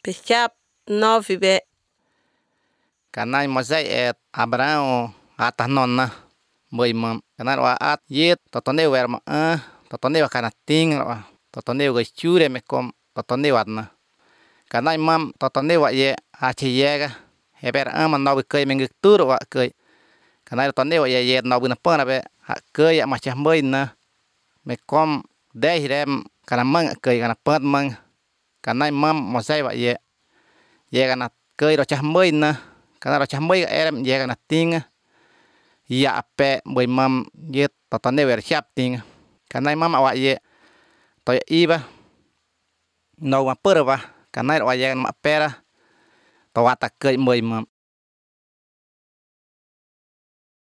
Pichap 9 be. Kanai Moisés et Abraão atanona mười mầm kanai wa at yet totone wer ma a totone wa kana ting wa totone wa chure me kom totone wa na kanai mam totone wa ye a che yega heber a man no ke me tur wa ke kanai totone wa ye ye no bu na pa na be ha ke ya ma cha mười na me kom de hirem kana mang ke kana pat mang kanai mam Moisés wa ye ye kana ke ro cha mười na kana ro cha mười erem ye kana ting ya pe mười mam ye totone wer chap ting kanai mam wa ye to iba no ma pura ba kanai wa ye ma pera to wa ta ke 10 mam.